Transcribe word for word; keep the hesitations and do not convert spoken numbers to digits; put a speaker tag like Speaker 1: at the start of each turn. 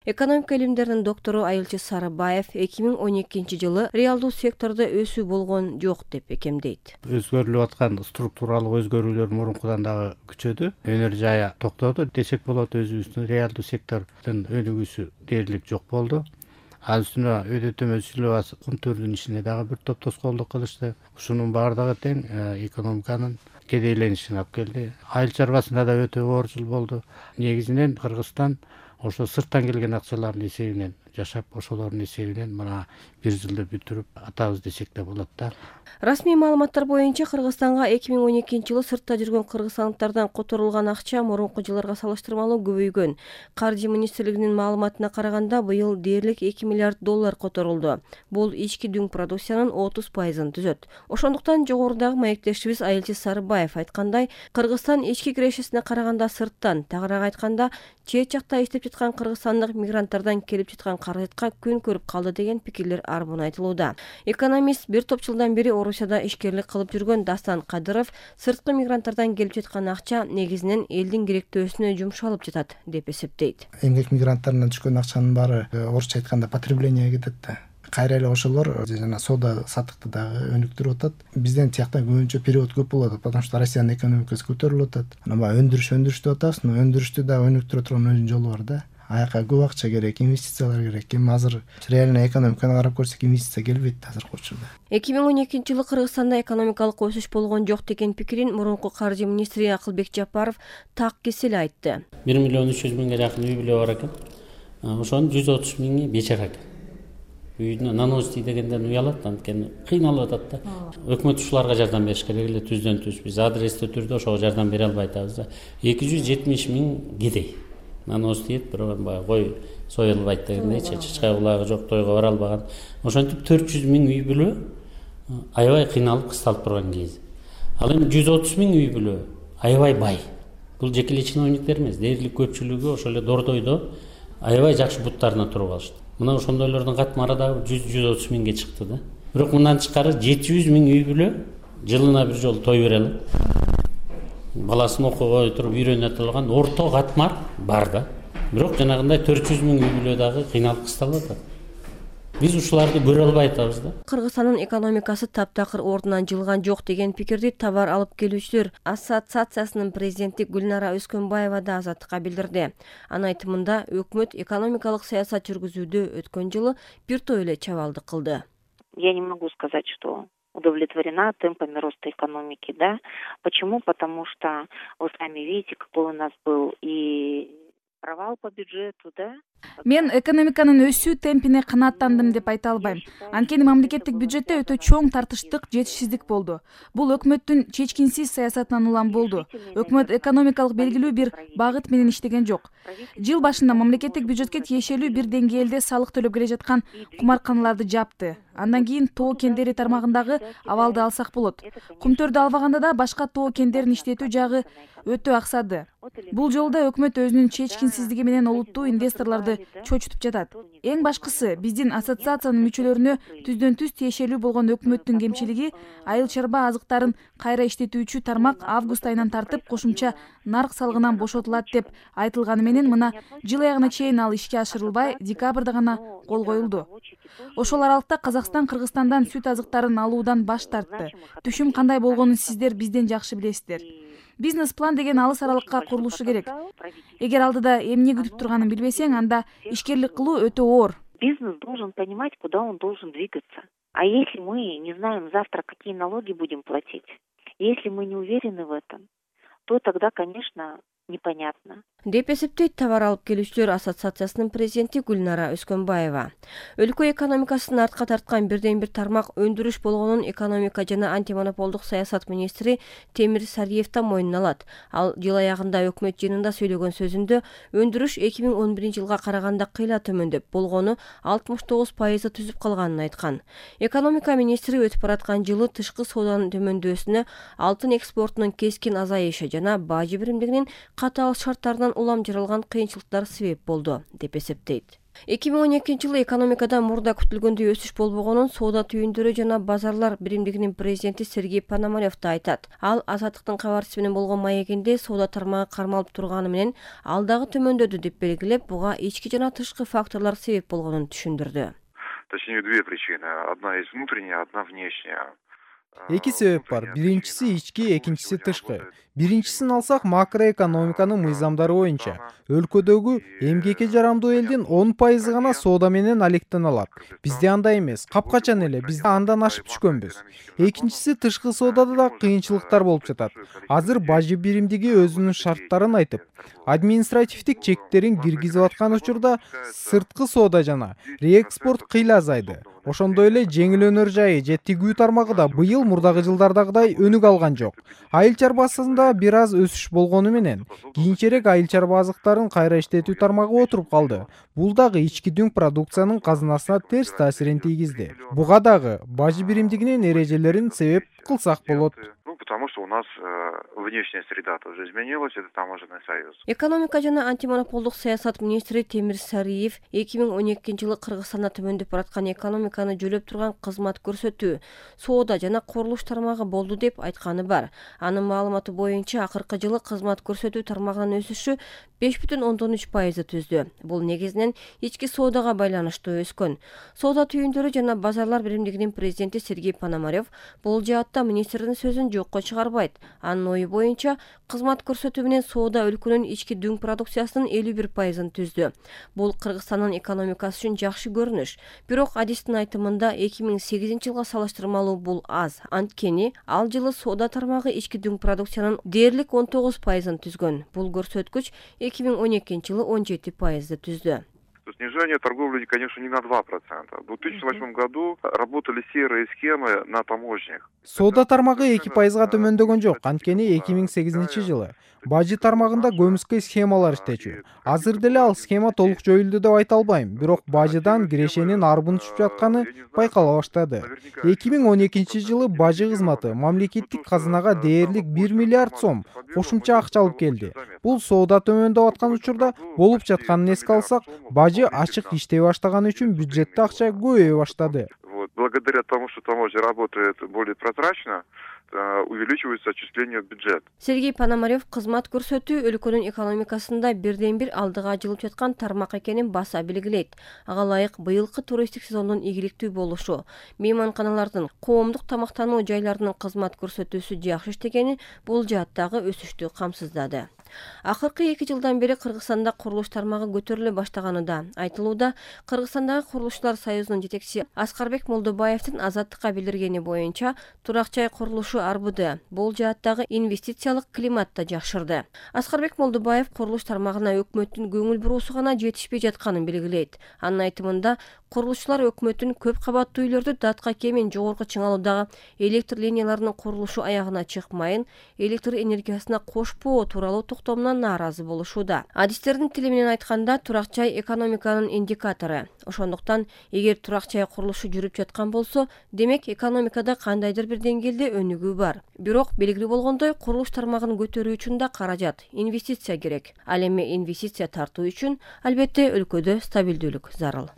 Speaker 1: Экономика илимдеринин доктору Айылчы Сарыбаев эки миң он экинчи жылы реалдуу сектордо өсүү болгон жок деп бекемдейт.
Speaker 2: Өзгөрүлүп аткан структуралык өзгөрүүлөр мурункудан дагы күчөдү. Өнөр жайы токтоду десек болот. Өзүбүздүн реалдуу сектордун өнүгүүсү дээрлик жок болду. Ал үстүнө өйдө төмөн силебас кумтөрдүн ишине дагы бир топ тоскоолдук кылышты. Ушунун баардыгы тең экономиканын кедейленишине алып келди. Айыл чарбасында да өтө оор жыл болду. Негизинен Кыргызстан ошо сырттан келген акчалардын эсебинен жашап, ошолордун эсебинен мына бир жылды бүтүрүп атабыз десек да болот да.
Speaker 1: Расмий маалыматтар боюнча Кыргызстанга эки миң он экинчи жылы сыртта жүргөн кыргызстандыктардан которулган акча мурунку жылдарга салыштырмалуу көбөйгөн. Каржы министрлигинин маалыматына караганда, быйыл дээрлик эки миллиард доллар которулду. Бул ички дүң продукциянын отуз пайызын түзөт. Ошондуктан жогорудагы маектешибиз Айылчы Сарыбаев айткандай, Кыргызстан ички кирешесине караганда сырттан, тагыраак айтканда, чет жакта иштеп жаткан кыргызстандык мигранттардан келип жаткан каражатка күн көрүп калды деген пикирлер арбын айтылууда. Экономист бир топ жылдан бери Орусияда ишкерлик кылып жүргөн Дастан Кадыров сырткы мигранттардан келип жаткан акча негизинен элдин керектөөсүнө жумшалып жатат деп эсептейт.
Speaker 3: Эмгек мигранттарынан түшкөн акчанын баары орусча айтканда потребление кетет да. Кайра эле ошолор жана соода саттыкты дагы өнүктүрүп атат. Бизден тияктан көбүнчө перевод көп болуп атат, потому что Россиянын экономикасы көтөрүлүп атат. Анан баягы өндүрүш өндүрүш деп атабыз, но өндүрүштү да өнүктүрө турган өзүнүн жолу бар да. Аяка көп акча керек, инвестициялар керек. Эми азыр реальный экономиканы карап көрсөк, инвестиция келбейт азыркы учурда.
Speaker 1: эки миң он экинчи жылы Кыргызстанда экономикалык өсүш болгон жок деген пикирин мурунку каржы министри Акылбек Жапаров так кесел айтты.
Speaker 4: бир миллион үч жүз миңге жакын үй бүлө бар экен. Ошонун жүз отуз миңи бечара экен. Үйүнө нанос дегенден уялат, анткени кыйналып атат да. Өкмөт ушуларга жардам бериш керек эле, түздөн түз. Биз адрестүү түрдө ошого жардам бере албай атабыз да. эки жүз жетимиш миң кедей. Нанос дейт, бирок баягы кой союлбайт дегендейчи, чычкай кулагы жок, тойго бара албаган. Ошентип төрт жүз миң үй бүлө аябай кыйналып кысталып турган кез. Ал эми жүз отуз миң үй бүлө аябай бай. Бул жекелей чиновниктер эмес, дээрлик көпчүлүгү ошол эле Дордойдо аябай жакшы буттарына туруп алышты. Мына ошондойлордун катмары дагы жүз жүз отуз миңге чыкты да. Бирок мындан тышкары жети жүз миң үй бүлө жылына бир жолу той бере алат. Баласын окууга туруп үйрөнө турган орто катмар бар да. Бирок жанагындай төрт жүз миң үй бүлө дагы кыйналып кысталып атат. Биз ушуларды көрө албай атабыз да.
Speaker 1: Кыргызстандын экономикасы таптакыр ордунан жылган жок деген пикирди Товар алып келүүчүлөр ассоциациясынын президенти Гүлнара Өскөнбаева да Азаттыкка билдирди. Анын айтымында, өкмөт экономикалык саясат жүргүзүүдө өткөн жылы бир топ эле чабалдык кылды.
Speaker 5: Я не могу сказать, что удовлетворена темпами роста экономики, да. Почему? Потому что вы сами видите, какой у нас был и провал по бюджету, да.
Speaker 6: Мен экономиканын өсүү темпине канааттандым деп айта албайм. Анткени мамлекеттик бюджетте өтө чоң тартыштык, жетишсиздик болду. Бул өкмөттүн чечкинсиз саясатынан улам болду. Өкмөт экономикалык белгилүү бир багыт менен иштеген жок. Жыл башында мамлекеттик бюджетке тиешелүү бир деңгээлде салык төлөп келе жаткан кумарканаларды жапты. Андан кийин тоо кендери тармагындагы абалды алсак болот. Кумтөрдү албаганда да башка тоо кендерин иштетүү жагы өтө аксады. Бул жолда өкмөт өзүнүн чечкинсиздиги менен олуттуу инвесторлорду чочутуп жатат. Эң башкысы, биздин ассоциациянын мүчөлөрүнө түздөн түз тиешелүү болгон өкмөттүн кемчилиги айыл чарба азыктарын кайра иштетүүчү тармак август айынан тартып кошумча нарк салыгынан бошотулат деп айтылганы менен мына жыл аягына чейин ал ишке ашырылбай, декабрда гана кол коюлду. Ошол аралыкта Казакстан Кыргызстандан сүт азыктарын алуудан баш тартты. Түшүм кандай болгонун сиздер бизден жакшы билесиздер. Бизнес-план деген алыс аралыкка курулушу керек. Эгер алдыда эмне күтүп турганын билбесең, анда ишкерлик кылуу өтө оор.
Speaker 5: Бизнес должен понимать, куда он должен двигаться. А если мы не знаем завтра, какие налоги будем платить, если мы не уверены в этом, то тогда, конечно, непонятно.
Speaker 1: Деп эсептейт Товар алып келүүчүлөр ассоциациясынын президенти Гүлнара Өскөнбаева. Өлкө экономикасын артка тарткан бирден бир тармак өндүрүш болгонун экономика жана антимонополдук саясат министри Темир Сариев да мойнуна алат. Ал жыл аягында өкмөт жыйынында сөйлөгөн сөзүндө өндүрүш эки миң он биринчи жылга караганда кыйла төмөндөп, болгону алтымыш тогуз пайызды түзүп калганын айткан. Экономика министри өтүп бараткан жылы тышкы сооданын төмөндөсүнө, алтын экспортунун кескин азайышы жана бажы биримдигинин катаал шарттарынан улам жаралган кыйынчылыктар себеп болду деп эсептейт. эки миң он экинчи жылы экономикада мурда күтүлгөндөй өсүш болбогонун соода түйүндөрү жана базарлар биримдигинин президенти Сергей Пономарев да айтат. Ал Азаттыктын кабарчысы менен болгон маегинде соода тармагы кармалып турганы менен ал дагы төмөндөдү деп белгилеп, буга ички жана тышкы факторлор себеп болгонун түшүндүрдү.
Speaker 7: Точнее, две причины. Одна есть внутренняя, одна внешняя.
Speaker 8: Эки себеп бар. Биринчиси ички, экинчиси тышкы. Биринчисин алсак, макроэкономиканын мыйзамдары боюнча өлкөдөгү эмгекке жарамдуу элдин он пайызы гана соода менен алектен алат. Бизде андай эмес. Капкачан эле биз андан ашып түшкөнбүз. Экинчиси тышкы соодада да кыйынчылыктар болуп жатат. Азыр бажы биримдиги өзүнүн шарттарын айтып, административдик чектерин киргизип аткан учурда сырткы соода жана реэкспорт кыйла азайды. Ошондой эле жеңил өнөр жайы же тигүү тармагы да быйыл мурдагы жылдардагыдай өнүк алган жок. Айыл чарбасында бир аз өсүш болгону менен кийинчерээк айыл чарба азыктарын кайра иштетүү тармагы отуруп калды. Бул дагы ички дүң продукциянын казынасына терс таасирин тийгизди. Буга дагы бажы биримдигинин эрежелерин себеп кылсак болот.
Speaker 7: Ну, потому что у нас э, внешняя среда тоже изменилась, это таможенный союз.
Speaker 1: Экономика жана антимонополдук саясат министри Темир Сариев эки миң он экинчи жылы Кыргызстанда төмөндөп бараткан экономиканы жөлөп турган кызмат көрсөтүү, соода жана курулуш тармагы болду деп айтканы бар. Анын маалыматы боюнча акыркы жылы кызмат көрсөтүү тармагынын өсүшү беш бүтүн ондон үч пайызды түздү. Бул негизинен ички соодага байланыштуу өскөн. Соода түйүндөрү жана базарлар биримдигинин президенти Сергей Пономарев бул жаатта министрдин сөзүн жокко чыгарбайт. Анын ою боюнча кызмат көрсөтүү менен соода өлкөнүн ички дүң продукциясынын элүү бир пайызын түздү. Бул Кыргызстандын экономикасы үчүн жакшы көрүнүш. Бирок адистин айтымында эки миң сегизинчи жылга салыштырмалуу бул аз. Анткени ал жылы соода тармагы ички дүң продукциянын дээрлик он тогуз пайызын түзгөн. Бул көрсөткүч эки миң он экинчи жылы он жети пайызды түздү.
Speaker 7: Снижение торговли, конечно, не на два процента. В две тысячи восьмом году работали серые схемы на таможнях.
Speaker 8: Соода тармагы эки пайызга төмөндөгөн жок. Анткени эки миң сегизинчи жылы бажы тармагында көмүскө схемалар иштечү. Азыр деле ал схема толук жоюлду деп айта албайм, бирок бажыдан кирешенин арбын түшүп жатканы байкала баштады. эки миң он экинчи жылы бажы кызматы мамлекеттик казынага дээрлик бир миллиард сом кошумча акча алып келди. Бул соода төмөндөп аткан учурда болуп жатканын эске алсак, бажы ачык иштей баштаганы үчүн бюджетте акча көбөйө баштады.
Speaker 7: Вот, благодаря тому, что таможня работает более прозрачно, увеличивается отчисление в бюджет.
Speaker 1: Сергей Пономарев кызмат көрсөтүү өлкөнүн экономикасында бирден бир алдыга жылып жаткан тармак экенин баса белгилейт. Ага ылайык быйылкы туристтик сезондун ийгиликтүү болушу, мейманканалардын, коомдук тамактануу жайларынын кызмат көрсөтүүсү жакшы иштегени бул жааттагы өсүштү камсыздады. Акыркы эки жылдан бери Кыргызстанда курулуш тармагы көтөрүлө баштаганы да айтылууда. Кыргызстандагы Курулушчулар союзунун жетекчиси Аскарбек Молдобаевдин Азаттыкка билдиргени боюнча турак жай курулушу арбыды. Бул жааттагы инвестициялык климат да жакшырды. Аскарбек Молдобаев курулуш тармагына өкмөттүн көңүл буруусу гана жетишпей жатканын белгилейт. Анын айтымында курулушчулар өкмөттүн көп кабаттуу үйлөрдү датка кемин жогорку чыңалуудагы электр линияларынын курулушу аягына чыкмайын, электр энергиясына кошпоо тууралуу токтомунан нааразы болушууда. Адистердин тили менен айтканда, турак жай экономиканын индикатору. Ошондуктан, эгер турак жай курулушу жүрүп жаткан болсо, демек экономикада кандайдыр бир деңгээлде өнүгүү бар. Бирок белгилүү болгондой, курулуш тармагын көтөрүү үчүн да каражат, инвестиция керек. Ал эми инвестиция тартуу үчүн албетте өлкөдө стабилдүүлүк зарыл.